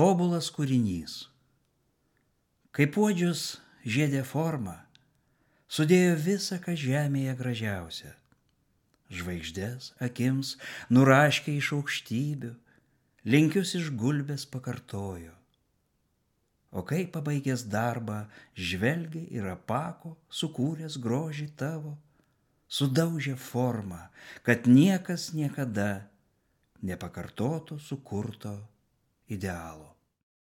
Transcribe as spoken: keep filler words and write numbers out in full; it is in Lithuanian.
tobulas kūrinys. Kaip puodžius žiedė formą, sudėjo visą, ką žemėje gražiausia. Žvaigždės akims nuraškė iš aukštybių, linkius iš gulbės pakartojo. O kai pabaigęs darbą žvelgia ir apako, sukūręs grožį tavo, sudaužė formą, kad niekas niekada nepakartotų sukurto idealo.